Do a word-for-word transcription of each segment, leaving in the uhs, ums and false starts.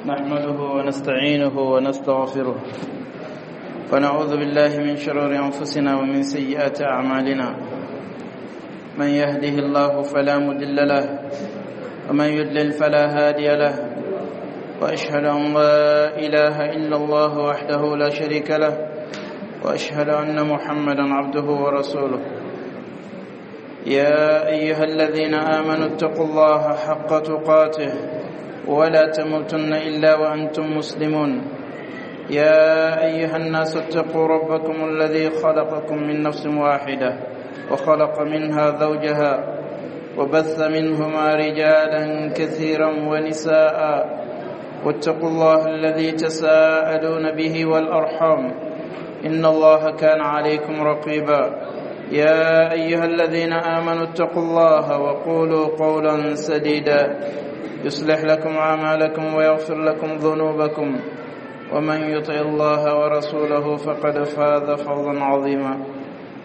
نحمده ونستعينه ونستغفره ونعوذ بالله من شرور أنفسنا ومن سيئات أعمالنا. من يهده الله فلا مضل له ومن يضلل فلا هادي له، وأشهد أن لا إله إلا الله وحده لا شريك له، وأشهد أن محمدا عبده ورسوله. يا أيها الذين آمنوا اتقوا الله حق تقاته ولا تموتن إلا وأنتم مسلمون. يا أيها الناس اتقوا ربكم الذي خلقكم من نفس واحدة وخلق منها زوجها وبث منهما رجالا كثيرا ونساء، واتقوا الله الذي تساءلون به والأرحام إن الله كان عليكم رقيبا. يا أيها الذين آمنوا اتقوا الله وقولوا قولا سديدا يصلح لكم أعمالكم ويغفر لكم ذنوبكم، ومن يطع الله ورسوله فقد فاز فوزا عظيما.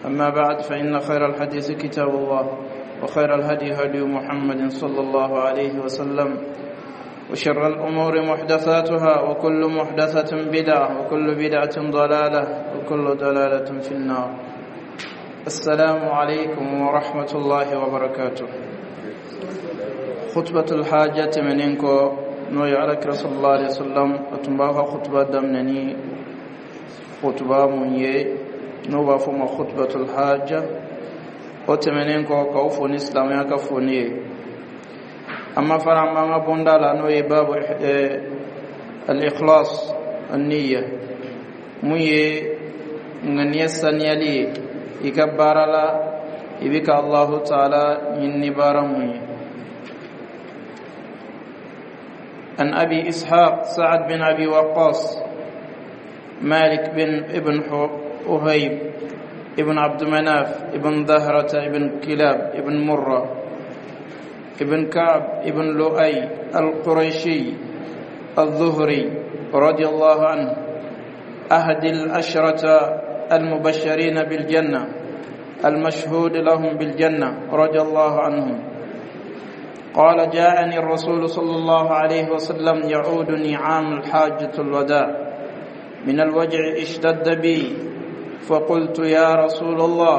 أما بعد، فإن خير الحديث كتاب الله، وخير الهدي هدي محمد صلى الله عليه وسلم، وشر الأمور محدثاتها، وكل محدثة بدعة، وكل بدعة ضلالة، وكل ضلالة في النار. السلام عليكم ورحمة الله وبركاته. خطبة الحاجة tɛmɛnen kɔ, n'o ye alakira صلى الله عليه وسلم a tun b'a ka خطبة daminɛ ni خطبة mun ye, n'o b'a fɔ ma خطبة الحاجة. O tɛmɛnen kɔ, k'aw fo ni silamɛya ka foni ye. An ma fara an b'an ka bonda la, n'o ye باب الإخلاص النية, mun ye ŋaniya saniyali ye i ka baara la, i bɛ ka الله تعالى ɲini baara mun ye. عن أبي إسحاق سعد بن أبي وقاص مالك بن ابن وهيب ابن عبد مناف ابن زهرة ابن كلاب ابن مرة ابن كعب ابن لؤي القريشي الزهري رضي الله عنه، أحد العشرة المبشرين بالجنة المشهود لهم بالجنة رضي الله عنهم، قال: جاءني الرسول صلى الله عليه وسلم يعودني عام الحاجة الوداع من الوجع اشتد بي، فقلت: يا رسول الله،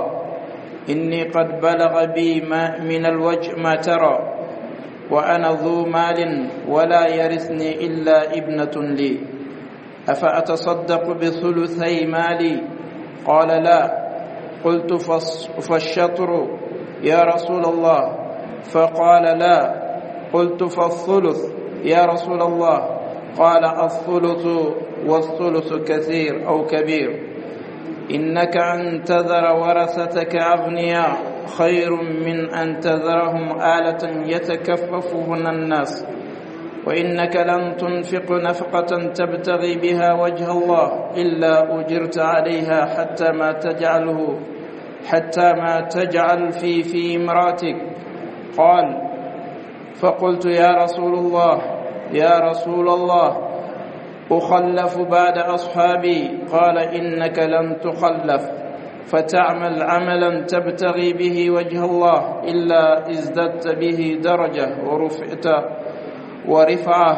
إني قد بلغ بي ما من الوجع ما ترى، وأنا ذو مال ولا يرثني إلا ابنة لي، أفأتصدق بثلثي مالي؟ قال: لا. قلت: فالشطر يا رسول الله؟ فقال: لا. قلت: فالثلث يا رسول الله؟ قال: الثلث والثلث كثير أو كبير. إنك أن تذر ورثتك أغنياء خير من أن تذرهم عالة يتكففون الناس، وإنك لن تنفق نفقة تبتغي بها وجه الله إلا أجرت عليها حتى ما تجعله حتى ما تجعل في في امرأتك. قال: فقلت: يا رسول الله، يا رسول الله، أخلف بعد أصحابي؟ قال: إنك لن تخلف فتعمل عملا تبتغي به وجه الله إلا ازددت به درجة ورفعت ورفعة،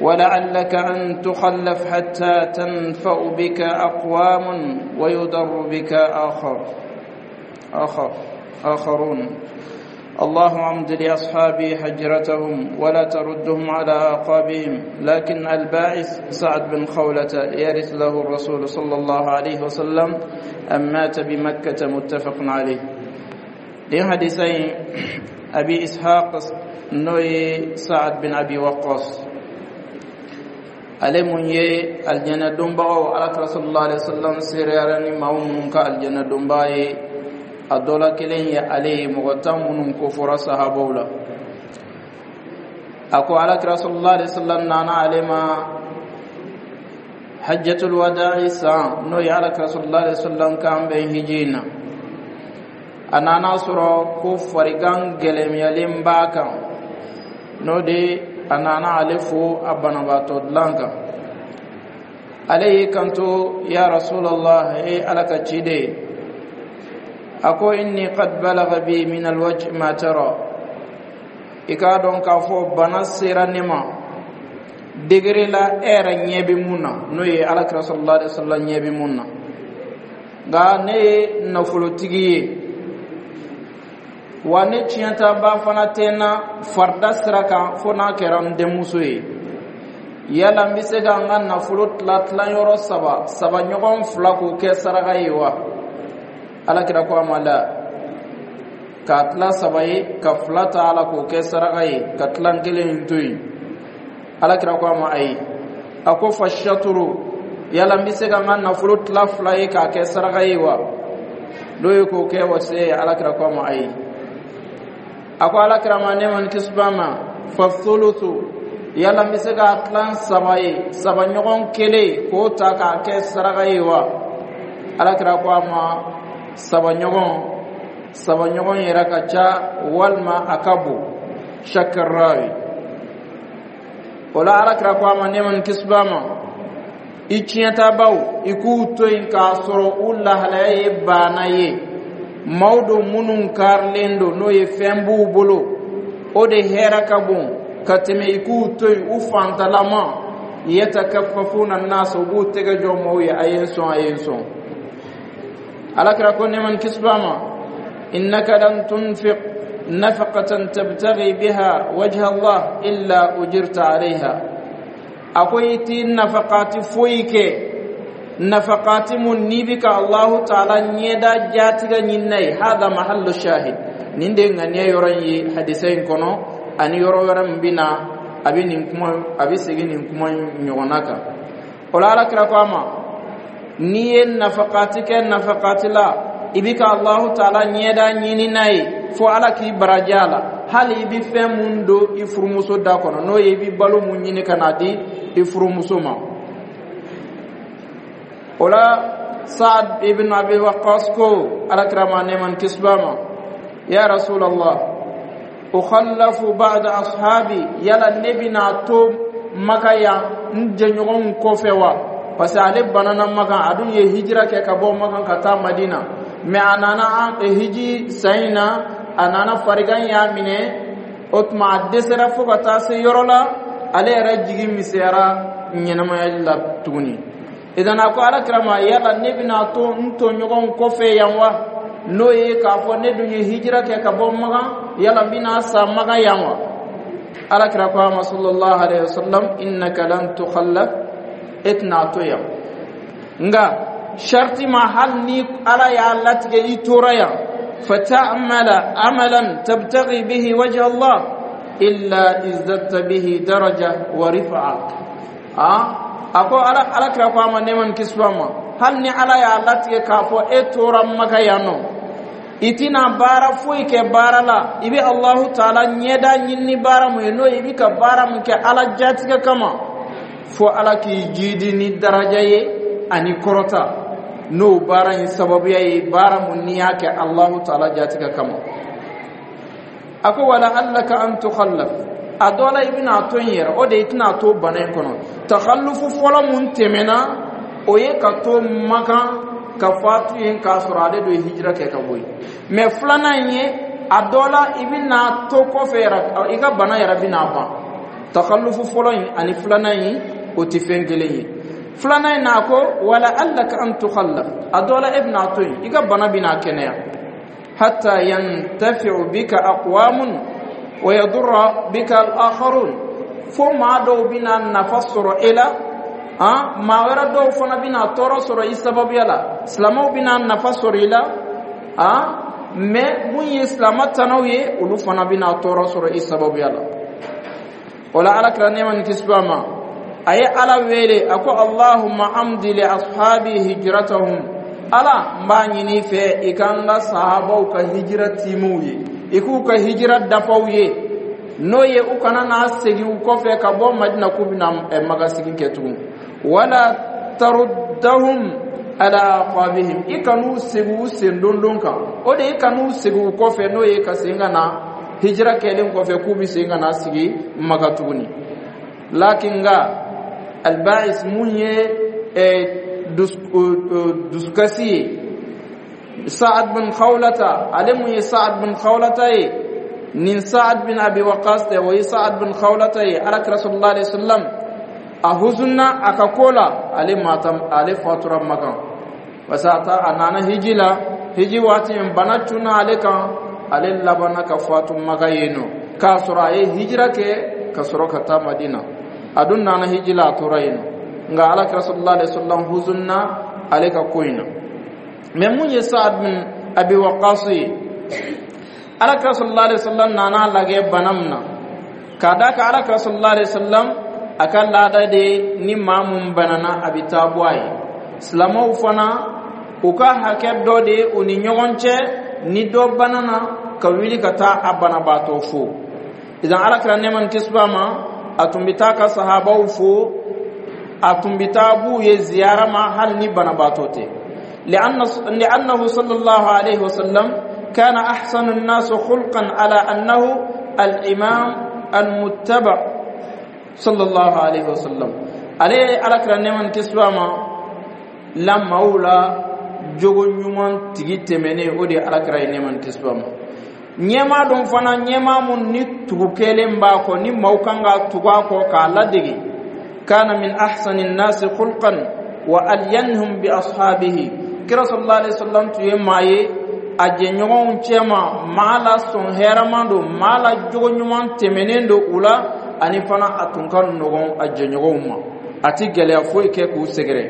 ولعلك أن تخلف حتى تنفع بك أقوام ويضر بك آخر آخر آخرون. اللهم امض لأصحابي هجرتهم ولا تردهم على أعقابهم. لكن الباعث سعد بن خولة يرث له الرسول صلى الله عليه وسلم أن مات بمكة. متفق عليه. Nin حديثين أبي إسحاق, n'o ye سعد بن أبي وقاص, ale mun ye aljana donbagaw, alakira صلى الله عليه وسلم seereyara ni maa minnu ka aljana donba ye, a dɔ la kelen ye ale ye, mɔgɔ tan minnu kofɔra sahabaw la. A ko alakira صلى الله عليه وسلم nana ale ma حجة الوداع san, n'o ye alakira صلى الله عليه وسلم kan bɛn hiji in na. A nana sɔrɔ ko farigan gɛlɛyalen b'a kan, n'o de a nana ale fo a banabaatɔ dilan kan. Ale y'i kanto: يا رسول الله, e Ala ka ciden, a ko إني قد بلغ بي من الوجع ما ترى, i k'a dɔn k'a fɔ bana sera ne ma. Degré la e yɛrɛ ɲɛ bɛ mun na, n'o ye Alakira sallallahu alaihi wasallam ɲɛ bɛ mun na. Nka ne ye nafolotigi ye wa, ne tiɲɛtaba fana tɛ n na farida sira kan, fo n'a kɛra n denmuso ye. Yala n bɛ se ka n ka nafolo tila tilayɔrɔ saba, saba ɲɔgɔn fila k'o kɛ saraka ye wa? Alakira ko a ma la, k'a tila saba ye, ka fila ta a la k'o kɛ saraka ye, ka tilan kelen in to yen. Alakira ko a ma ayi. A ko fa shaturu, yala n bɛ se ka n ka nafolo tila fila ye k'a kɛ saraka ye wa? N'o ye k'o kɛ wasiya ye. Alakira ko a ma ayi. A ko Alakira ma, ne ma ni kisi b'a ma, fa thuluthu, yala n bɛ se k'a tilan saba ye, saba ɲɔgɔn kelen k'o ta k'a kɛ saraka ye wa? Alakira ko a ma, saba ɲɔgɔn, saba ɲɔgɔn yɛrɛ ka ca walima a ka bon. Shakarawi o la, Alakira ko a ma, ne ma ni kisi b'a ma, i tiɲɛtabaw, i k'u to yen k'a sɔrɔ u lahalaya ye baana ye, maaw don minnu karilen don, n'o ye fɛn b'u bolo, o de hɛrɛ ka bon ka tɛmɛ i k'u to yen u fantalama, yatakaffafuna nasa, u b'u tɛgɛ jɔ maaw ye, a ye n sɔn, a ye n sɔn. Alakira ko, ne ma ni kisi b'a ma, innaka lan tunfiq nafaqatan tabtaghi biha wajha Allah illa ujirta alayha. A ko i ti nafaqati foyi kɛ, nafaqati mun n'i bi ka Allahu taala ɲɛda jatigɛ ɲini n'a ye. Hada mahallu shahid, nin de ŋaniya yɔrɔ in ye hadisa in kɔnɔ, ani yɔrɔ wɛrɛ min bɛ na, a bɛ nin kuma, a bɛ segin nin kuma ɲɔgɔnna kan. O la, Alakira ko a ma, n'i ye nafaqati kɛ nafaqati la, i bi ka Allahu taala ɲɛda ɲini n'a ye, fo Ala k'i baraji a la. Hali i bi fɛn mun don i furumuso da kɔnɔ, n'o ye i bi balo mun ɲini ka na di i furumuso ma. O la, Saad ibn Abi Waqqas ko Alakira ma, nɛɛma ni kisi b'a ma, ya Rasulallah, ukhallafu ba'da ashabi, yala ne bɛna to Maka yan n jɛɲɔgɔnw kɔfɛ wa? Parce que ale banana Makan, a dun ye hijira kɛ ka bɔ Makan ka taa Madina, mais a nana hiji san in na, a nana farigan y'a minɛ. O tuma a dɛsɛra fo ka taa se yɔrɔ la, ale yɛrɛ jigi misɛnyara ɲɛnamayali la tuguni. Idan a ko Alakira ma, yala ne bɛna to n tɔɲɔgɔnw kɔfɛ yan wa? N'o ye k'a fɔ ne dun ye hijira kɛ ka bɔ Makan, yala n bɛna sa Makan yan wa? Alakira ko a ma sallallahu alaihi wasallam, innaka lan tukhallaf, e tɛna to yan, nka sharti ma, hali ni Ala y'a latigɛ i tora yan, fata'mala amalan tabtaghi bihi wajha Allah illa izdadta bihi daraja wa rifa'a. Ah, a ko ala Alakira ko a ma, nɛɛma ni kisi b'a ma, hali ni Ala y'a latigɛ k'a fɔ e tora Maka yan nɔ, i tɛna baara foyi kɛ baara la, i bɛ Alahu taala ɲɛda ɲini ni baara mun ye, n'o ye i bɛ ka baara mun kɛ Ala jatigɛ kama, fo Ala k'i jidi ni daraja ye ani kɔrɔta, n'o baara in sababuya ye, baara mun n'i y'a kɛ Alahu taala jatigɛ kama. A ko wala allaka an tukhallaf, a dɔ la i bɛna to yen yɛrɛ, o de i tɛna to bana in kɔnɔ. Takhallufu fɔlɔ mun tɛmɛna, o ye ka to Makan ka fatu yen k'a sɔrɔ ale do ye hijira kɛ ka bɔ yen. Mais filanan in ye, a dɔ la i bɛna to kɔfɛ yɛrɛ, i ka bana yɛrɛ bɛna ban. Takhallufu fɔlɔ in ani filanan in, o tɛ fɛn kelen ye. Filanan in na, a ko wala allaka an tukhallaf, a dɔ la e bɛna to yen, i ka bana bɛna kɛnɛya, hatta yantafi'u bika aqwamun wa yadurra bika al-akharun, fo maa dɔw bɛna nafa sɔrɔ e la, han, maa wɛrɛ dɔw fana bɛna tɔɔrɔ sɔrɔ i sababuya la. Silamɛw bɛna nafa sɔrɔ i la, han, mais mun ye silamɛ tanaw ye, olu fana bɛna tɔɔrɔ sɔrɔ i sababuya la. O la, Alakira, nɛɛma ni kisi b'a ma, a ye Ala wele, a ko allahumma amdi li ashabi hijratahum, Ala, n b'a ɲini i fɛ i ka n ka sahabaw ka hijira tiimiw ye, i k'u ka hijira dafaw ye, n'o ye u kana n'a segin u kɔfɛ ka bɔ Madina k'u bɛna Maka segin kɛ tugun. Wala taruddahum ala aqabihim, i kan'u segin u sen dondon kan, o de i kan'u segin u kɔfɛ, n'o ye ka segin ka na hijira kɛlen kɔfɛ k'u bɛ segin ka na sigi Maka tuguni. Lakin nka alba'is, mun ye dusukasi ye, Sa'ad bin Khawlata, ale mun ye Sa'ad bin Khawlata ye, nin Sa'ad bin Abi Waqas tɛ, o ye Sa'ad bin Khawlata ye. Alakira sallallahu alaihi wasallam A huzunna a ka ko la, ale mata, ale fatura Makan, parce que a ta a nana hiji la. Hiji waati in, bana cunna ale kan, ale labanna ka fatu Maka yen nɔ, k'a sɔrɔ a ye hijira kɛ ka sɔrɔ ka taa Madina. A dun nana hiji la, a tora yen nɔ. Nka Alakira sallallahu alaihi wasallam huzunna ale ka ko in na. Mais mun ye Saad bin Abi Waqas ye, Alakira sallallahu alaihi wasallam nana lagɛ bana min na, k'a da ka Alakira sallallahu alaihi wasallam a ka laada de, ni maa mun banana, a bɛ taa bɔ a ye. Silamɛw fana, u ka hakɛ dɔ de ye u ni ɲɔgɔn cɛ, ni dɔ banana, ka wuli ka taa a banabaatɔ fo. Idan Alakira, nɛɛma ni kisi b'a ma, a tun bɛ taa ka sahabaw fo, a tun bɛ taa b'u ye ziyara ma, hali ni banabaatɔ tɛ. لأن لأنه صلى الله عليه وسلم كان أحسن الناس خلقا، على أنه الإمام المتبع صلى الله عليه وسلم. Ale Alakira, nɛɛma ni kisi b'a ma, la maaw la jogo ɲuman tigi tɛmɛnen, o de ye Alakira ye, nɛɛma ni kisi b'a ma. Ɲɛmaa dɔn fana, ɲɛmaa mun ni tugu kɛlen b'a kɔ, ni maaw kan ka tugu a kɔ k'a ladege. كان من أحسن الناس خلقا وألينهم بأصحابه. Kira sallallahu alaihi wasallam tun ye maa ye a jɛɲɔgɔnw cɛma, maa la sɔn hɛrɛman don, maa la jogo ɲuman tɛmɛnen don u la. Ani fana, a tun ka nɔgɔn a jɛɲɔgɔnw ma, a ti gɛlɛya foyi kɛ k'u sɛgɛrɛ.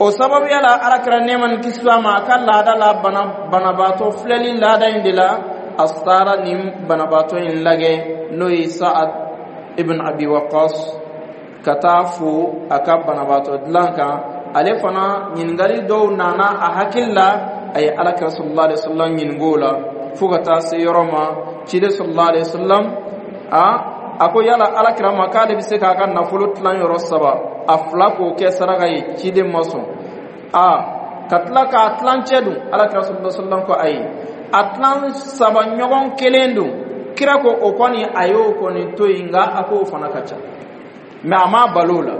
O sababuya la, Alakira, nɛɛma ni kisi b'a ma, a ka laada la, bana banabaatɔ filɛli laada in de la, a taara nin banabaatɔ in lagɛ, n'o ye Saad ibn Abi Waqas, ka taa fo a ka banabaatɔ dilan kan. Ale fana, ɲininkali dɔw nana a hakili la, a ye Alakira sallallahu alaihi wasallam ɲininka o la, fo ka taa se yɔrɔ ma, ciden sallallahu alaihi wasallam a a ko yala Alakira ma k'ale bɛ se k'a ka nafolo tilan yɔrɔ saba, a fila k'o kɛ saraka ye? Ciden ma sɔn. A ka tila k'a tilancɛ dun? Alakira sallallahu alaihi wasallam ko ayi. A tilan saba ɲɔgɔn kelen dun? Kira ko o kɔni, a y'o kɔni to yen, nka a k'o fana ka ca, mɛ a m'a balo o la.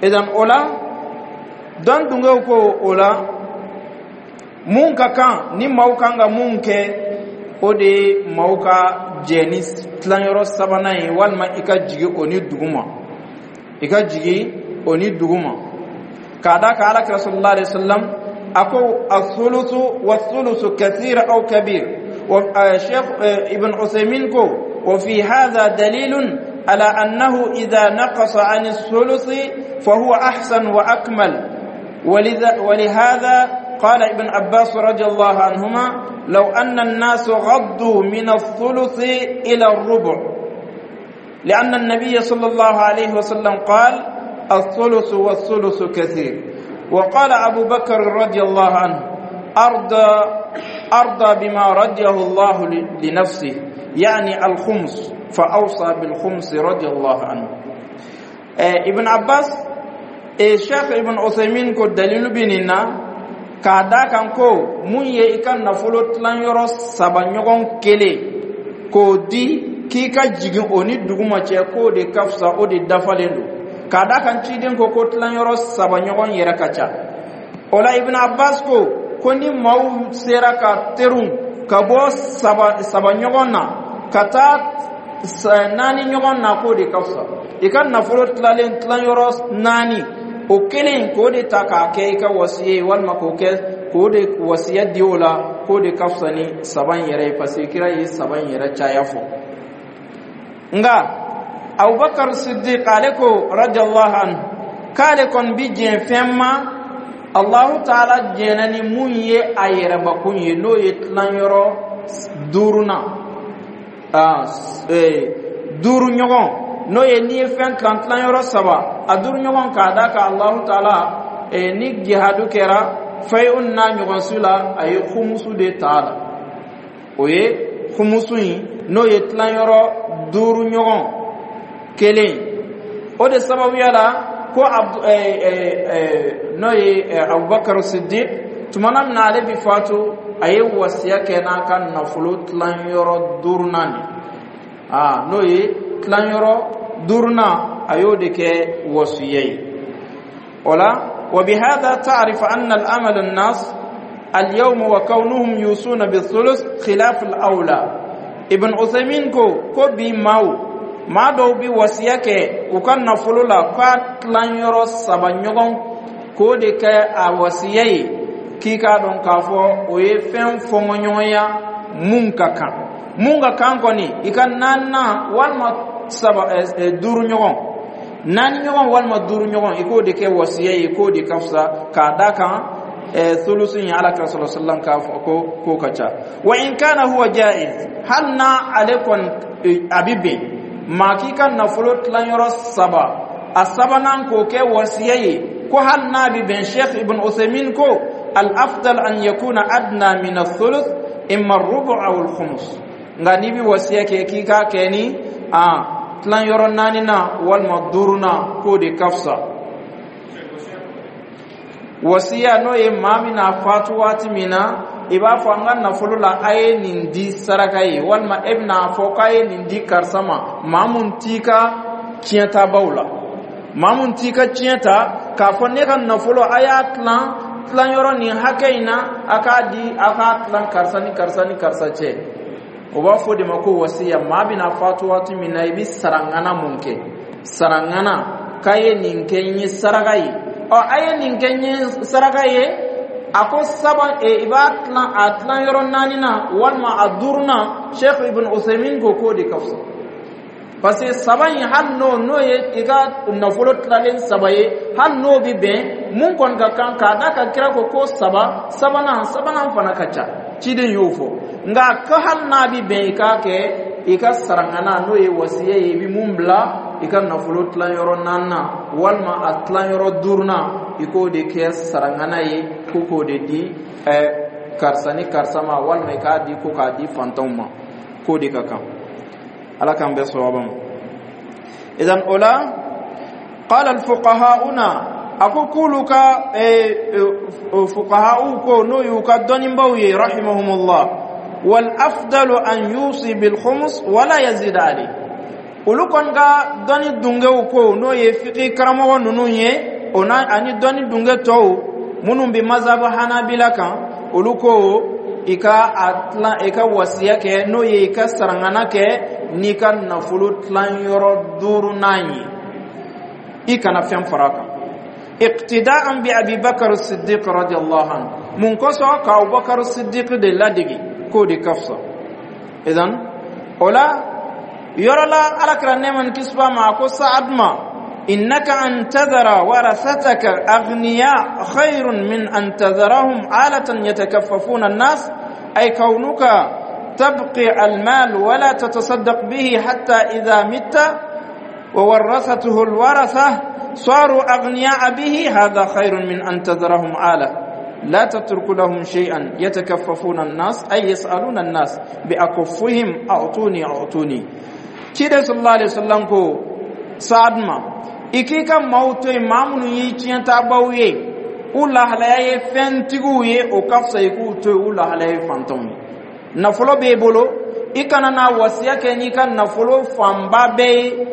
Idan o la, dɔn dungew ko o la, mun ka kan ni maaw kan ka mun kɛ, o de ye maaw ka jɛ ni tilanyɔrɔ sabanan ye, walima i ka jigi o ni duguma, i ka jigi o ni duguma, k'a da ka Alakira sallallahu alaihi wasallam a ko الثلث والثلث كثير أو كبير. شيخ ابن عثيمين ko وفي هذا دليل على أنه إذا نقص عن الثلث فهو أحسن وأكمل. ولذا ولهذا قال ابن عباس رضي الله عنهما: لو أن الناس غضوا من الثلث إلى الربع، لأن النبي صلى الله عليه وسلم قال: الثلث والثلث كثير. وقال أبو بكر رضي الله عنه: أرضى أرضى بما رضيه الله لنفسه، يعني الخمس، فأوصى بالخمس رضي الله عنه. ابن عباس، الشيخ ابن عثيمين ko dalilu bɛ nin na, k'a da kan ko mun ye i ka nafolo tilanyɔrɔ saba ɲɔgɔn kelen k'o di, k'i ka jigin o ni duguma cɛ, k'o de ka fisa, o de dafalen don, k'a da kan ciden ko ko tilanyɔrɔ saba ɲɔgɔn yɛrɛ ka ca. O la, Ibn Abbas ko ko ni maaw sera ka terun ka bɔ saba saba ɲɔgɔn na ka taa naani ɲɔgɔn na, k'o de ka fisa. I ka nafolo tilalen tilanyɔrɔ naani, o kelen k'o de ta k'a kɛ i ka wasiya ye, walima k'o kɛ k'o de wasiya di o la, k'o de ka fisa ni saba in yɛrɛ ye, parce que kira ye saba in yɛrɛ caya fɔ. Nka Abubakar Siddiq, ale ko radiyallahu anhu k'ale kɔni bi diɲɛ fɛn ma Allahu taala diɲɛna ni mun ye a yɛrɛbakun ye, n'o ye tilanyɔrɔ duurunan, duuru ɲɔgɔn, n'o ye n'i ye fɛn tilan tilanyɔrɔ saba, a duuru ɲɔgɔn, k'a da ka Allahu taala ni jihadu kɛra fɛn n'a ɲɔgɔn su la, a ye humusu de ta a la. O ye humusu in, n'o ye tilanyɔrɔ duuru ɲɔgɔn kelen. O de sababuya la ko n'o ye Abubakar Siddiq, tumana min na ale bi fatu, a ye wasiya kɛ n'a ka nafolo tilanyɔrɔ duurunan de, aa n'o ye tilanyɔrɔ duurunan, a y'o de kɛ wasiya ye o la. وبهذا تعرف أن العمل الناس اليوم وكونهم يوصون بالثلث خلاف الأولى. ابن عثيمين ko ko bi maaw Maa dɔw bi wasiya kɛ u ka nafolo la k'a tilanyɔrɔ saba ɲɔgɔn, k'o de kɛ a wasiya ye, k'i k'a dɔn k'a fɔ o ye fɛn fɔnkɔɲɔgɔnya. Mun ka kan, mun ka kan kɔni, i ka naaninan walima saba, duuru ɲɔgɔn, naani ɲɔgɔn walima duuru ɲɔgɔn, i k'o de kɛ wasiya ye, k'o de ka fisa, k'a da kan sulusu in, Ala kira sɔrɔ sallam k'a fɔ ko k'o ka ca. Wa in kana huwa jaiz, hali n'a ale kɔni a bi bɛn maa k'i ka nafolo tilanyɔrɔ saba, a sabanan k'o kɛ wasiya ye, ko hali n'a bi bɛn, Sheikh Ibn Usaymin ko al afdal an yakuna adna min athuluth, imma rubu aw al khumus. Nka n'i bi wasiya kɛ, k'i k'a kɛ ni a tilanyɔrɔ naani na walima duuru na, k'o de ka fisa. Wasiya, n'o ye maa min n'a fatu waati min na, i b'a fɔ an ka nafolo la, a ye nin di saraka ye, walima e bɛna fɔ k'a ye nin di karisa ma, maa mun t'i ka tiɲɛtabaw la, maa mun t'i ka tiɲɛ ta, k'a fɔ ne ka nafolo, a y'a tilan tilanyɔrɔ nin hakɛ in na, a k'a di, a k'a tilan karisa ni karisa ni karisa cɛ. O b'a fɔ de ma ko wasiya. Maa bɛna fatu waati min na, i bɛ sarangana mun kɛ, sarangana k'a ye nin kɛ n ye saraka ye. Ɔ, a ye nin kɛ n ye saraka ye, a ko saba, i b'a tilan a tilan yɔrɔ naani na walima a duuru na. Sheikh Ibn Usaymin ko k'o de ka fisa, parce que saba in, hali n'o n'o ye i ka nafolo tilalen saba ye, hali n'o bi bɛn, mun kɔni ka kan, k'a da ka kira ko ko saba, sabanan sabanan fana ka ca, ciden y'o fɔ. Nka ko hali n'a bi bɛn, i k'a kɛ i ka sarangana, n'o ye wasiya ye, i bi mun bila i ka nafolo tilanyɔrɔ naaninan walima a tilanyɔrɔ duurunan, i k'o de kɛ sarangana ye, ko k'o de di ɛ karisa ni karisa ma, walima i k'a di ko k'a di fantanw ma, k'o de ka kan. Ala k'an bɛɛ sawaba ma. Idan o la, qala alfuqahauna, a ko k'olu ka fuqaha'u ko, n'o y'u ka dɔnnibaw ye, rahimahumullah, wal afdalu an yusi bil khumus wala yazid alayh. Olu kɔni ka dɔnni dungew ko, n'o ye fiqi karamɔgɔ ninnu ye, o n'a ani dɔnni dunge tɔw minnu bɛ mazhabu Hanabila kan, olu ko i ka a tilan, i ka wasiya kɛ, n'o ye i ka sarangana kɛ n'i ka nafolo tilanyɔrɔ duurunan ye, i kana fɛn fara a kan, iqtida'an bi Abi Bakar Siddiq radiyallahu anhu. Mun kosɔn? Ka Abubakar Siddiq de ladege, k'o de ka fisa. Idan o la, yɔrɔ la, Alakira, nɛɛma ni kisi b'a ma, a ko Saad ma: innaka an tadhara warasataka aghniya khairun min an tadharahum alatan yatakaffafuna an-nas, ay kaunuka تبقي المال ولا تتصدق به حتى إذا مت وورثته الورثة صاروا أغنياء به، هذا خير من أن تذرهم آلة لا تترك لهم شيئا يتكففون الناس، أي يسألون الناس بأكفهم أعطوني أعطوني. Ciden sallallahu alaihi wasallam ko Saad ma, i k'i ka maaw to yen, maa minnu y'i tiɲɛtabaw ye, u lahalaya ye fɛntigiw ye, o ka fisa i k'u to yen u lahalaya ye fantanw ye. Nafolo b'e bolo, i kana na wasiya kɛ n'i ka nafolo fanba bɛɛ ye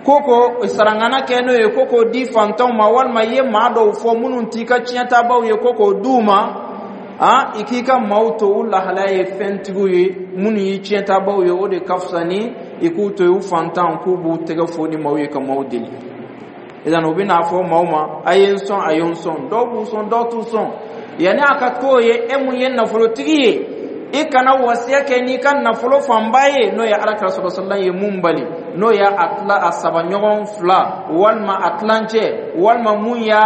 ko ko sarangana kɛ n'o ye, ko k'o di fantanw ma, walima i ye maa dɔw fɔ minnu t'i ka tiɲɛtabaw ye, ko k'o d'u ma. Han, i k'i ka maaw to u lahalaya ye fɛntigiw ye, minnu y'i tiɲɛtabaw ye, o de ka fisa ni i k'u to yen u fantan, k'u b'u tɛgɛ fo ni maaw ye ka maaw deli. Idan u bɛna fɔ maaw ma: a ye n sɔn, a ye n sɔn. Dɔw b'u sɔn, dɔw t'u sɔn. Yanni a ka k'o ye, e mun ye nafolotigi ye, i kana wasiya kɛ n'i ka nafolo fanba ye, n'o ye Alakira sɔrɔ sallam ye mun bali, n'o y'a a tila a saba ɲɔgɔn fila walima a tilancɛ, walima mun y'a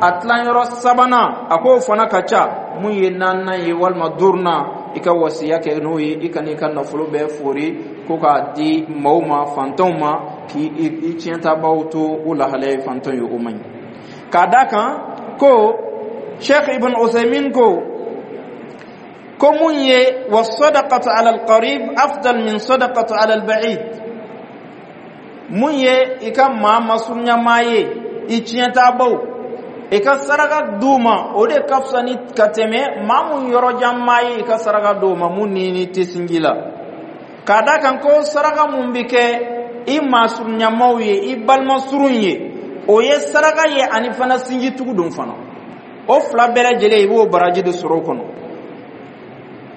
a tilanyɔrɔ sabanan, a k'o fana ka ca, mun ye naaninan ye walima duurunan, i ka wasiya kɛ n'o ye. I kana i ka nafolo bɛɛ fori ko k'a di maaw ma, fantanw ma, k'i i tiɲɛtabaw to u lahalaya ye fantanw ye, o man ɲi. K'a da kan ko Sheikh Ibn Usaymin ko ko mun ye wasadaqatu ala alqarib afdal min sadaqatu ala alba'id. Mun ye i ka maa masurunyamaa ye, i tiɲɛtabaw, i ka saraka d'u ma, o de ka fisa ni ka tɛmɛ maa mun yɔrɔjan maa ye, i ka saraka d'o ma, mun ni ni tɛ sinji la. K'a da kan ko saraka mun bi kɛ i maasurunyamaw ye, i balima surun ye, o ye saraka ye, ani fana sinjitugu don fana, o fila bɛɛ lajɛlen, i b'o baraji de sɔrɔ o kɔnɔ.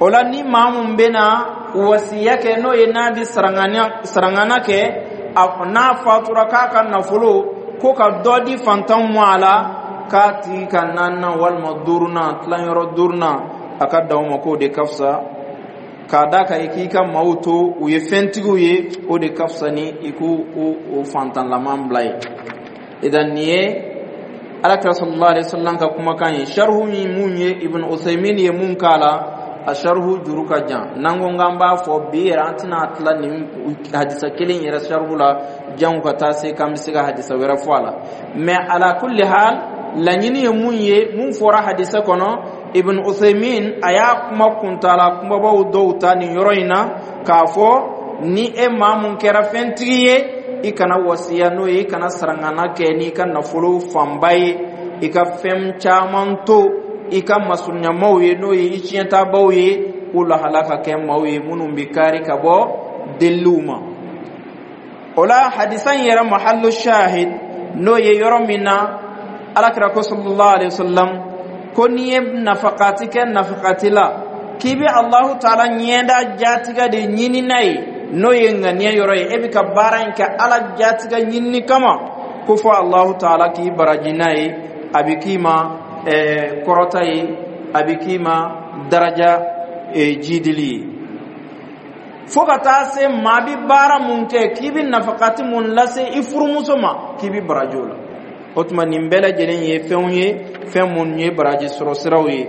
O la, ni maa mun bɛna wasiya kɛ, n'o ye n'a bɛ sarangana kɛ, a n'a fatura k'a ka nafolo ko ka dɔ di fantanw ma, a la k'a tigi ka naaninan walima duurunan, tilanyɔrɔ duurunan, a ka dan o ma, k'o de ka fisa, k'a da kan i k'i ka maaw to u ye fɛntigiw ye, o de ka fisa ni i k'u o fantanlaman bila ye. Idan, nin ye Alakira sallallahu alaihi wasallam ka kumakan ye. Sharhu min mun ye Ibn Usaymin ye mun k'a la, a sharhu juru ka jan. N'an ko k'an b'a fɔ bi yɛrɛ, an tɛna tila nin hadisa kelen yɛrɛ sharhu la jango ka taa se k'an bɛ se ka hadisa wɛrɛ fɔ a la. Mais ala kulli hal, laɲini ye mun ye, mun fɔra hadisa kɔnɔ, Ibn Usaymin a y'a kuma kuntala kumabaw dɔw ta nin yɔrɔ in na k'a fɔ ni e maa mun kɛra fɛntigi ye, i kana wasiya, n'o ye i kana sarangana kɛ n'i ka nafolo fanba ye, i ka fɛn caman to i ka masurunyamaw ye, n'o ye i tiɲɛtabaw ye, k'u lahala ka kɛ maaw ye minnu bɛ kari ka bɔ deliliw ma. O la, hadisa in yɛrɛ mahallu shahid, n'o ye yɔrɔ min na Alakira ko sallallahu alaihi wasallam ko n'i ye nafakati kɛ nafakati la, k'i bɛ Alahu Taala ɲɛda jatigɛ de ɲini n'a ye, n'o ye ŋaniya yɔrɔ ye, e bɛ ka baara in kɛ Ala jatigɛ ɲinini kama, ko fɔ Alahu Taala k'i baraji n'a ye, a bɛ k'i ma ɛɛ kɔrɔta ye, a bɛ k'i ma daraja jidili ye, fo ka taa se maa bi baara mun kɛ, k'i bɛ nafakati mun lase i furumuso ma, k'i bɛ baraji o la. O tuma, nin bɛɛ lajɛlen ye fɛnw ye, fɛn minnu ye baraji sɔrɔ siraw ye.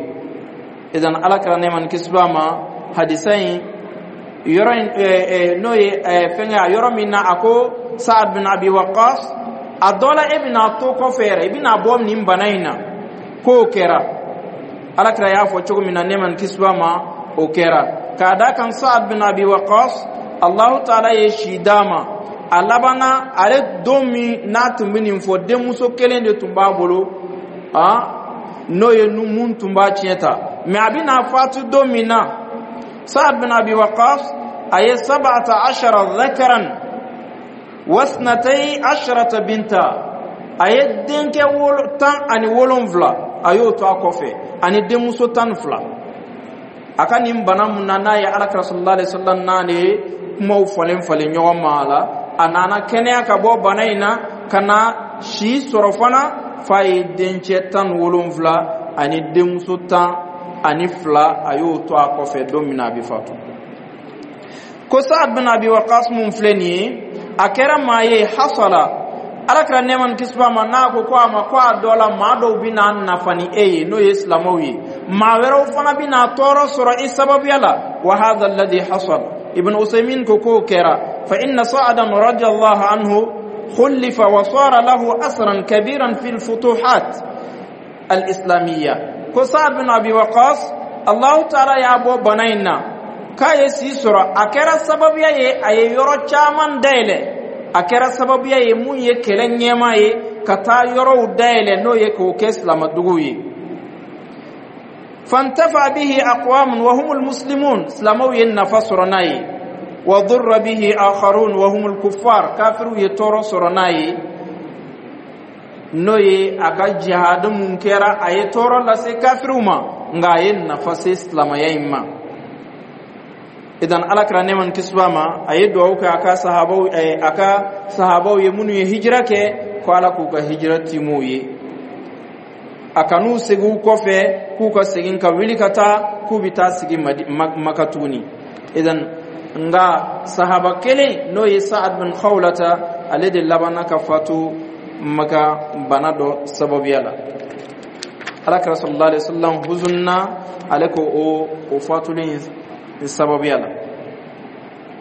Idan, Ala kɛra nɛɛma ni kisi b'a ma, hadisa in yɔrɔ in, n'o ye fɛnkɛ a yɔrɔ min na a ko Saad bin Abi Waqas, a dɔ la e bɛna to kɔfɛ yɛrɛ, i bɛna bɔ nin bana in na, k'o kɛra. Ala kira y'a fɔ cogo min na, nɛɛma ni kisi b'a ma, o kɛra, k'a da kan Saad bin Abi Waqas, Allahu Taala ye si d'a ma. A labanna ale don min n'a tun bɛ nin fɔ, denmuso kelen de tun b'a bolo, ah n'o ye mun tun b'a tiɲɛ ta. Mais a bɛna fatu don min na, Saad bin Abi Waqas a ye sabata ashara dhakaran wasnatai asharata binta, a ye denkɛ wolo tan ani wolonfila, a y'o to a kɔfɛ, ani denmuso tan ni fila. A ka nin bana mun na, n'a ye Alakira sallallahu alaihi wasallam n'ale ye kumaw falen falen ɲɔgɔn ma a la, a nana kɛnɛya ka bɔ bana in na ka na si sɔrɔ fana, f'a ye dencɛ tan ni wolonfila ani denmuso tan ani fila, a y'o to a kɔfɛ don min na a bɛ fatu. Ko Saad bin Abi Waqas mun filɛ nin ye, a kɛra maa ye hasala Alakira nɛɛma ni kisi b'a ma, n'a ko ko a ma ko a dɔ la maa dɔw bɛ n'a nafa ni e ye, n'o ye silamɛw ye, maa wɛrɛw fana bɛ n'a tɔɔrɔ sɔrɔ i sababuya la. Wa hadha alladhi hasal, Ibn Usaymin ko k'o kɛra. Fa inna Sa'adan radiyallahu anhu khulifa wa sara lahu asran kabiran fi al-futuhat al-islamiyya. Ko Sa'ad bin Abi Waqas, Allahu Taala y'a bɔ bana in na k'a ye si sɔrɔ, a kɛra sababuya ye a ye yɔrɔ caman dayɛlɛ, a kɛra sababuya ye mun ye kɛlɛ ɲɛmaa ye ka taa yɔrɔw dayɛlɛ, n'o ye k'o kɛ silamaduguw ye. Fantafa bihi aqwamun wa humul muslimun, silamɛw ye nafa sɔrɔ n'a ye. Wa durra bihi akharun wa humul kuffar, kafiriw ye tɔɔrɔ sɔrɔ n'a ye, n'o ye a ka jihad mun kɛra, a ye tɔɔrɔ lase kafiriw ma, nka a ye nafa se silamɛya in ma. Idan, Ala kɛra nɛɛma ni kisi b'a ma, a ye duwawu kɛ a ka sahabaw a ka sahabaw ye minnu ye hijira kɛ, ko Ala k'u ka hijira tiim'u ye, a kan'u segin u kɔfɛ, k'u ka segin ka wuli ka taa k'u bɛ taa sigi Maka tuguni. Idan, nka sahaba kelen, n'o ye Sa'ad bin Khawlata, ale de labanna ka fatu Maka bana dɔ sababuya la. Ala kɛra sallallahu alaihi wasallam huzunna ale ko o o fatulen sababuya la.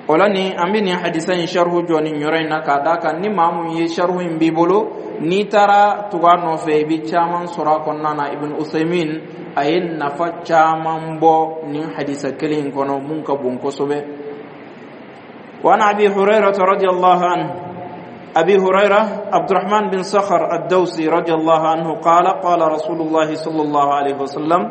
O la, ni an bɛ nin hadisa in sharhu jɔ nin yɔrɔ in na, k'a d'a kan ni maa mun ye sharhu in b'i bolo, n'i taara tugu a nɔfɛ, i bɛ caman sɔrɔ a kɔnɔna na. Ibn Usaymin a ye nafa caman bɔ nin hadisa kelen in kɔnɔ mun ka bon kosɛbɛ. وعن أبي هريرة رضي الله عنه، أبي هريرة عبد الرحمن بن صخر الدوسي رضي الله عنه، قال: قال رسول الله صلى الله عليه وسلم: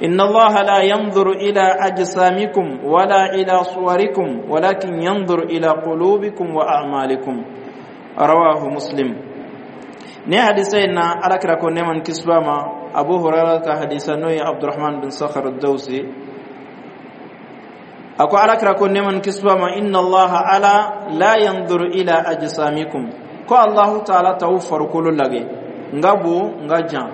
إن الله لا ينظر إلى أجسامكم ولا إلى صوركم، ولكن ينظر إلى قلوبكم وأعمالكم. رواه مسلم. Ni hadisa in na, Ala kira ko nɛɛma ni kisi b'a ma, Abu Hurairah ka hadisa, n'o ye Abdurrahman bin Sakhar ad-Dawsi. A ko Alakira ko, nɛɛma ni kisi b'a ma, inna Allaha, Ala, la yanzuru ila ajsamikum, ko Allahu Taala t'aw farikolo lagɛ, n ka bon, n ka jan,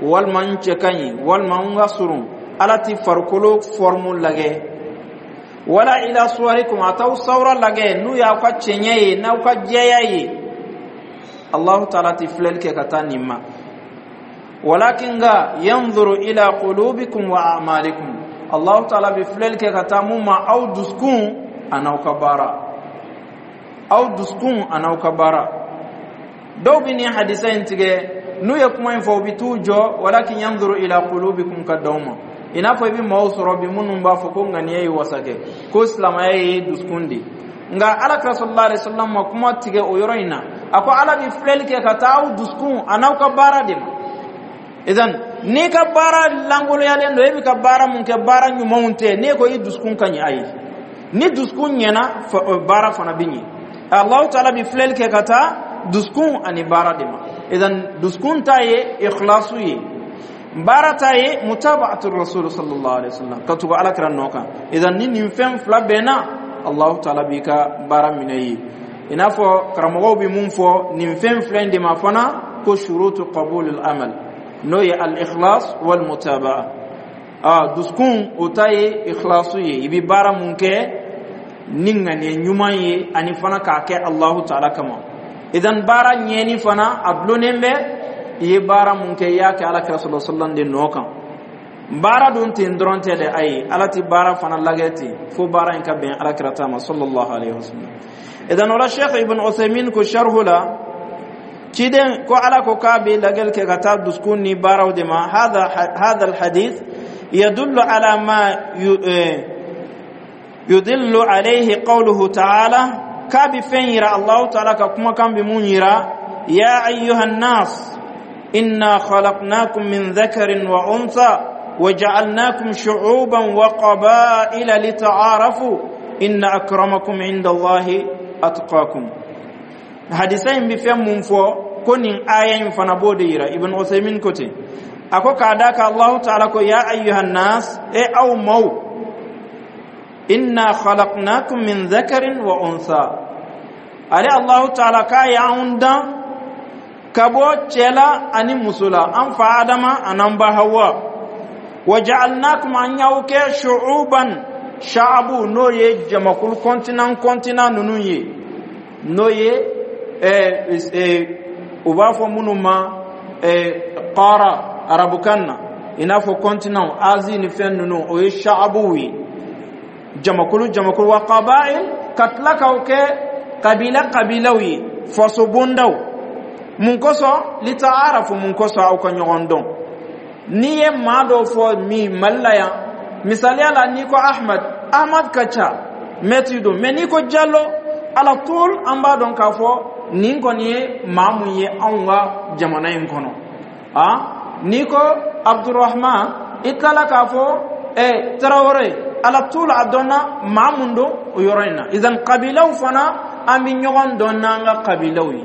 walima n cɛ ka ɲi, walima n ka surun. Ala ti farikolo forme lagɛ. Wala ila suwarikum, a t'aw sawura lagɛ, n'u y'aw ka cɛɲɛ ye, n'aw ka jɛya ye. Allahu Taala ti filɛli kɛ ka taa nin ma. Walakin, nka, yanzuru ila qulubikum wa a'malikum, Allahu Taala bɛ filɛli kɛ ka taa mun ma? Aw dusukun an'aw ka baara, aw dusukun an'aw ka baara. Dɔw bɛ nin hadisa in tigɛ, n'u ye kuma in fɔ, u bɛ t'u jɔ walakin yanzuru ila qulubikum ka d'aw ma. I n'a fɔ i bɛ maaw sɔrɔ bi minnu b'a fɔ ko ŋaniya ye wasa kɛ, ko silamɛya ye dusukun de. Nka Ala kira sallallahu alaihi wasallam ma kuma tigɛ o yɔrɔ in na. A ko Ala bɛ filɛli kɛ ka taa aw dusukun an'aw ka baara de ma. Idan n'i ka baara lankoloyalen don, e bɛ ka baara mun kɛ, baara ɲumanw tɛ, n'e ko i dusukun ka ɲi, ayi, ni dusukun ɲɛna, baara fana bɛ ɲɛ. Allahu Taala bɛ filɛli kɛ ka taa dusukun ani baara de ma. Idan dusukun ta ye ikhlasu ye, baara ta ye mutaba'atu rasul sallallahu alaihi wasallam, ka tugu Ala kira nɔ kan. Idan ni nin fɛn fila bɛnna, Allahu Taala b'i ka baara minɛ ye. I n'a fɔ karamɔgɔw bɛ mun fɔ nin fɛn fila in de ma fana, ko shurutu qabul al-amal, n'o ye al-ikhlas wal mutaba'a. Ah, dusukun, o ta ye ikhlasu ye, i bɛ baara mun kɛ ni ŋaniya ɲuman ye, ani fana k'a kɛ Allahu Taala kama. Idan baara ɲɛni fana, a dulonnen bɛ i ye baara mun kɛ, i y'a kɛ Ala kira sallallahu alaihi wasallam de nɔ kan. Baara dun ten dɔrɔn tɛ dɛ, ayi, Ala ti baara fana lagɛ ten fo baara in ka bɛn Ala kira ta ma sallallahu alaihi wasallam. Idan o la, Sheikh Ibn Uthaymin ko sharhu la, ciden ko Ala ko k'a bɛ lagɛli kɛ ka taa dusukun ni baaraw de ma. هذا هذا الحديث يدل على ما يدل عليه قوله تعالى, k'a bɛ fɛn yira Allahu Taala ka kumakan bɛ mun yira: يا أيها الناس إنا خلقناكم من ذكر وأنثى وجعلناكم شعوبا وقبائل لتعارفوا إن أكرمكم عند الله أتقاكم. Hadisa in bɛ fɛn mun fɔ, ko nin aya in fana b'o de yira. Ibn Uthaymin ko ten, a ko k'a da ka Allahu Taala ko ya ayyuhan nas, e aw maw, inna khalaqnakum min dhakarin wa untha, ale Allahu Taala k'a y'anw dan ka bɔ cɛ la ani muso la, an fa Adama an'an ba Hawa. Wa ja'alnakum, an y'aw kɛ shu'uban, sha'abu, n'o ye jamakulu, continent continent ninnu ye, n'o ye u b'a fɔ minnu ma qara arabukan na, i n'a fɔ continent Asie ni fɛn ninnu, o ye sha'abuw ye, jamakulu jamakulu. Wa qaba'il, ka tila k'aw kɛ kabila kabilaw ye, faso bondaw. Mun kosɔn? Lita'arafu, mun kosɔn? Aw ka ɲɔgɔn dɔn. N'i ye maa dɔ fɔ min Mali la yan, misaliya la, n'i ko Ahmad, Ahmad ka ca, mɛtiri don, mɛ n'i ko Jalo, ala tul an b'a dɔn k'a fɔ nin kɔni ye maa mun ye anw ka jamana in kɔnɔ. A n'i ko Abdurahman, i tilala k'a fɔ ɛ Tarawele, ala tul a dɔnna maa mun don o yɔrɔ in na. Idan kabilaw fana, an bɛ ɲɔgɔn dɔn n'an ka kabilaw ye.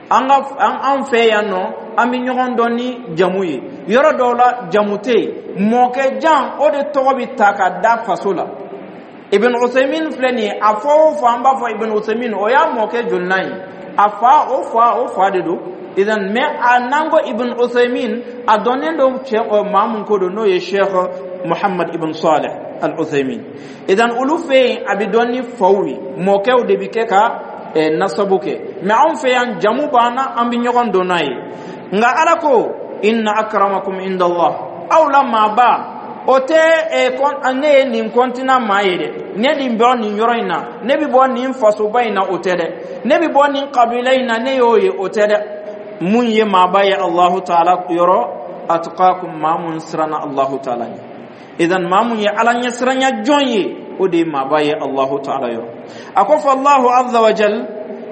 An ka an fɛ yan nɔ, an bɛ ɲɔgɔn dɔn ni jamu ye. Yɔrɔ dɔw la, jamu tɛ yen, mɔkɛ jan o de tɔgɔ bɛ ta ka da faso la. Ibn Usaymin filɛ nin ye, a fɔ o fɔ an b'a fɔ Ibn Usaymin, o y'a mɔkɛ jolinan ye? A fa, o fa, o fa de don. Idan mɛ a n'an ko Ibn Usaymin, a dɔnnen don cɛ maa mun ko don, n'o ye Sheikh Muhammad ibn Salih al-Uthaymin. Idan olu fɛ yen, a bɛ dɔn ni faw ye, mɔkɛw de bɛ kɛ ka nasabu kɛ. Mɛ anw fɛ yan, jamu b'an na, an bɛ ɲɔgɔn dɔn n'a ye. Nka Ala ko inna akramakum indallah, aw la maaba o tɛ ne ye nin continent maa ye dɛ, ne nin bɔ nin yɔrɔ in na, ne bɛ bɔ nin fasoba in na, o tɛ dɛ, ne bɛ bɔ nin kabila in na, ne y'o ye, o tɛ dɛ. Mun ye maaba ye Allahu Taala yɔrɔ? Atqakum, maa mun siranna Allahu Taala ɲɛ. Idan maa mun ye Ala ɲɛsiranya jɔn ye, o de ye maaba ye Allahu Taala yɔrɔ. A ko fɔ Allahu azza wa jal,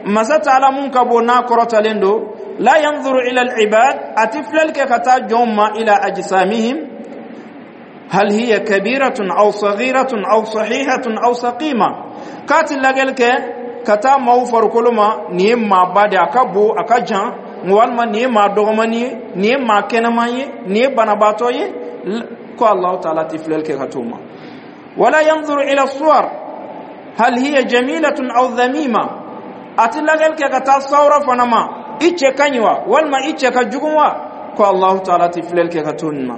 masa Taala mun ka bon n'a kɔrɔtalen don, la yanzuru ila al-ibad, a ti filɛli kɛ ka taa jɔnw ma, ila ajsamihim hal hiya kabiratun aw saghiratun aw sahihatun aw saqima, k'a ti lagɛli kɛ ka taa maaw farikolo ma, nin ye maaba de, a ka bon, a ka jan, walima nin ye maa dɔgɔmani ye, nin ye maa kɛnɛman ye, nin ye banabaatɔ ye, ko Allahu Taala ti filɛli kɛ ka t'o ma. ولا ينظر إلى الصور، هل هي جميلة أو ذميمة. A ti lajɛli kɛ ka taa sawura fana ma, i cɛ ka ɲi wa walima i cɛ ka jugu wa? Ko Allahu taala ti filɛli kɛ ka to nin ma.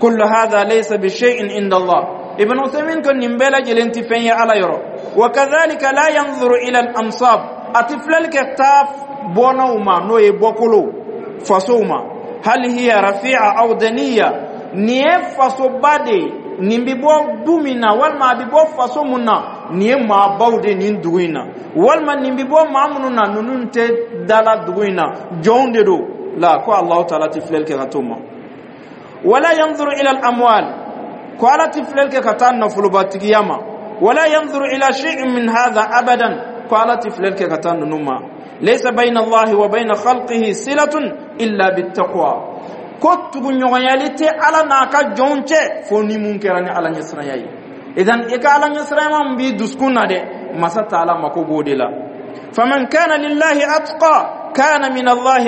كل هذا ليس بشيء عند الله. Ibn Uthaymin ko nin bɛɛ lajɛlen ti fɛn ye Ala yɔrɔ. وكذلك لا ينظر إلى الأنساب. A ti filɛli kɛ taa bɔnnaw ma, n'o ye bɔkolo fasow ma. هل هي رفيعة أو دنية؟ Nin ye fasoba de ye, nin bi bɔ du min na walima a bi bɔ faso mun na, nin ye maabaw de nin dugu in na, walima nin bi bɔ maa minnu na, ninnu tɛ dala dugu in na, jɔnw de don la. Ko Allahu taala ti filɛli kɛ ka t'o ma. ولا ينظر إلى الأموال. Ko Ala ti filɛli kɛ ka taa nafolobatigiya ma. ولا ينظر إلى شيء من هذا أبدا. Ko Ala ti filɛli kɛ ka taa ninnu ma. ليس بين الله وبين خلقه صلة إلا بالتقوى. Ko tuguɲɔgɔnyali tɛ Ala n'a ka jɔnw cɛ fo ni mun kɛra ni Ala ɲɛsiranya ye. Idan i ka Ala ɲɛsiranya min b'i dusukun na dɛ, masa taala mako b'o de la. فمن كان لله أتقى كان من الله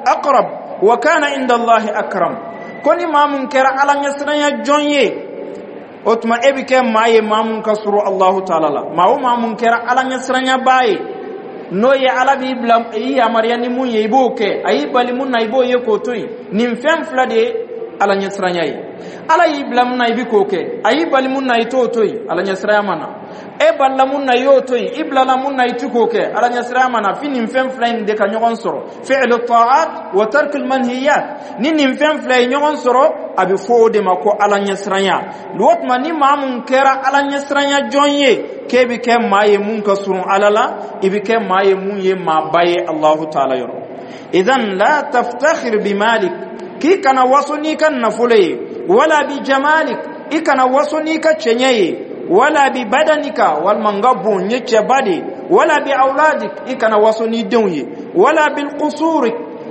أقرب وكان عند الله أكرم. Ko ni maa mun kɛra Ala ɲɛsiranya jɔn ye, o tuma e bɛ kɛ maa ye maa mun ka surun Allahu taala la. Maa o maa mun kɛra Ala ɲɛsiranyabaa ye, n'o ye Ala b'i bila i yamaruya ni mun ye, i b'o kɛ, a y'i bali mun na, i b'o ye k'o to yen. Nin fɛn fila de ye Ala ɲɛsiranya ye. Ala y'i bila mun na, i bi k'o kɛ, a y'i bali mun na, i t'o to yen. Ala ɲɛsiranya ma na, e balila mun na, i y'o to yen, i bilala mun na, i ti k'o kɛ. Ala ɲɛsiranya ma na, fi nin fɛn fila in de ka ɲɔgɔn sɔrɔ: فعل الطاعات وترك المنهيات. Ni nin fɛn fila ye ɲɔgɔn sɔrɔ, a bɛ fɔ o de ma ko Ala ɲɛsiranya. O tuma ni maa mun kɛra Ala ɲɛsiranya jɔn ye, k'e bɛ kɛ maa ye mun ka surun Ala la, i bɛ kɛ maa ye mun ye maaba ye Allahu taala yɔrɔ. إذن لا تفتخر بمالك. K'i kana waso n'i ka nafolo ye. ولا بجمالك. I kana waso n'i ka cɛɲɛ ye. ولا ببدنك. Walima n ka bon, n ye cɛba de. ولا بأولادك. I kana waso n'i denw ye. ولا بالقصور.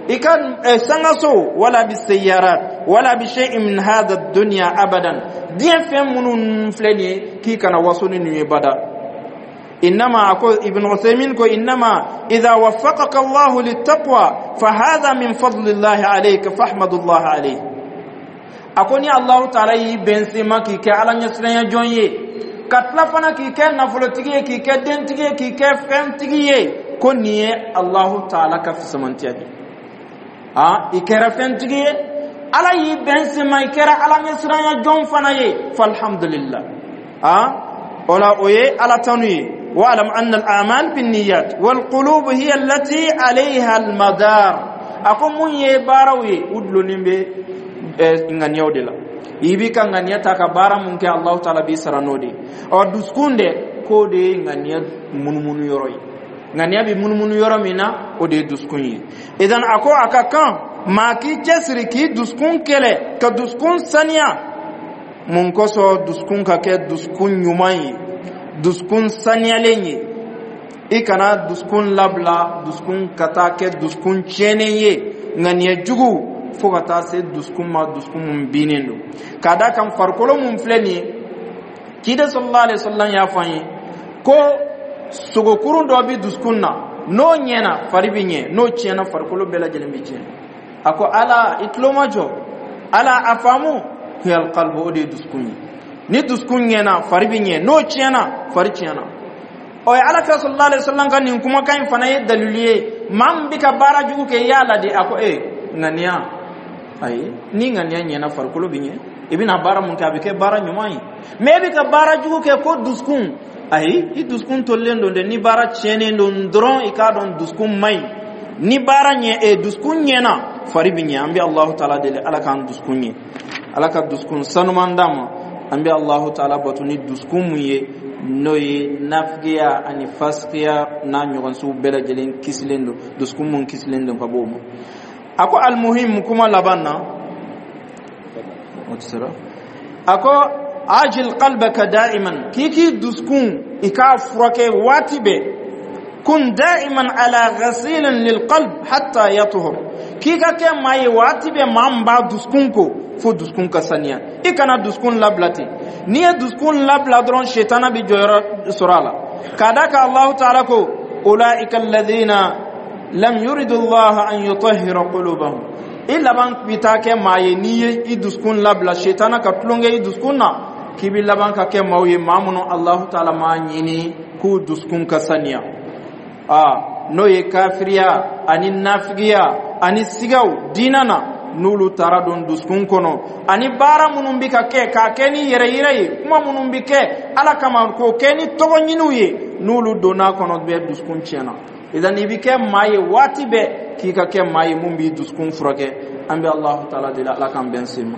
I ka sangaso. ولا بالسيارات ولا بشيء من هذا الدنيا أبدا. Diɲɛ fɛn minnu filɛ nin ye, k'i kana waso ni nin ye bada. إنما أقول ابن عثيمين كو إنما إذا وفقك الله للتقوى فهذا من فضل الله عليك فاحمد الله عليه. A ko ni Allahu taala y'i bɛn se ma k'i kɛ Ala ɲɛsiranya jɔn ye, ka tila fana k'i kɛ nafolotigi ye, k'i kɛ dentigi ye, k'i kɛ fɛntigi ye, ko nin ye Allahu taala ka fisamantiya de. A i kɛra fɛntigi ye, Ala y'i bɛn se ma, i kɛra Ala ɲɛsiranya jɔn fana ye, فالحمد لله. A o la, o ye Ala tanu ye. واعلم أن الأعمال بالنيات والقلوب هي التي عليها المدار. A ko mun ye baaraw ye, u dulonnen bɛ ŋaniyaw de la. I b'i ka ŋaniya ta ka baara mun kɛ, Allahu taala b'i sara n'o de ye. Ɔ dusukun dɛ, k'o de ye ŋaniya munumunu yɔrɔ ye. Ŋaniya bɛ munumunu yɔrɔ min na, o de ye dusukun ye. Idan a ko a ka kan maa k'i cɛsiri k'i dusukun kɛlɛ, ka dusukun saniya. Mun kosɔn? Dusukun ka kɛ dusukun ɲuman ye, dusukun saniyalen ye. I kana dusukun labila, dusukun ka taa kɛ dusukun tiɲɛnen ye, ŋaniya jugu fo ka taa se dusukun ma, dusukun mun binnen don. K'a da kan farikolo mun filɛ nin ye, ciden صلى الله عليه وسلم y'a fɔ an ye ko sogokurun dɔ bɛ dusukun na, n'o ɲɛna, fari bɛ ɲɛ, n'o tiɲɛna, farikolo bɛɛ lajɛlen bɛ tiɲɛ. A ko ala i tulo ma jɔ, ala a faamu. هي القلب. O de ye dusukun ye. Ni dusukun ɲɛna, fari bɛ ɲɛ, n'o tiɲɛna, fari tiɲɛna. Ɔ ye Ala kira صلى الله عليه وسلم ka nin kumakan in fana ye dalilu ye. Maa min bɛ ka baara jugu kɛ, i y'a ladi. A ko e ŋaniya, ayi, ni ŋaniya ɲɛna, farikolo bɛ ɲɛ, i bɛna baara mun kɛ, a bɛ kɛ baara ɲuman ye. Mɛ e bɛ ka baara jugu kɛ, ko dusukun, ayi, i dusukun tolilen don dɛ. Ni baara tiɲɛnen don dɔrɔn, i k'a dɔn dusukun man ɲi. Ni baara ɲɛ e dusukun ɲɛna, fari bɛ ɲɛ. An bɛ Alahu taala deli, Ala k'an dusukun ɲɛ, Ala ka dusukun sanuman d'an ma. An bɛ Alahu taala bato ni dusukun mun ye, n'o ye nafigiya ani fasikiya n'a ɲɔgɔnsiw bɛɛ lajɛlen kisilen don, dusukun mun kisilen don ka bɔ o ma. A ko المهم, kuma laban na, a ko عالج قلبك دائما. K'i k'i dusukun, i k'a furakɛ waati bɛɛ. كن دائما على غسيل للقلب حتى يطهر. K'i ka kɛ maa ye waati bɛɛ maa min b'a dusukun ko fo dusukun ka saniya. I kana dusukun labila ten. N'i ye dusukun labila dɔrɔn, setana bɛ jɔyɔrɔ sɔrɔ a la. K'a da kan Alahu taala ko أولئك الذين لم يرد الله أن يطهر قلوبهم. I laban bɛ taa kɛ maa ye, n'i ye i dusukun labila, setana ka tulonkɛ i dusukun na. K'i bi laban ka kɛ maaw ye, maa minnu Alahu Taala m'a ɲini k'u dusukun ka saniya. A n'o ye kafiriya ani nafigiya ani sigaw diina na, n'olu taara don dusukun kɔnɔ, ani baara minnu bɛ ka kɛ k'a kɛ ni yɛrɛ yira ye, kuma minnu bɛ kɛ Ala kama k'o kɛ ni tɔgɔ ɲiniw ye, n'olu donna kɔnɔ bɛɛ, dusukun tiɲɛna. Idan i bɛ kɛ maa ye waati bɛɛ, k'i ka kɛ maa ye mun b'i dusukun furakɛ. An bɛ Alahu Taala deli, Ala k'an bɛn sen ma.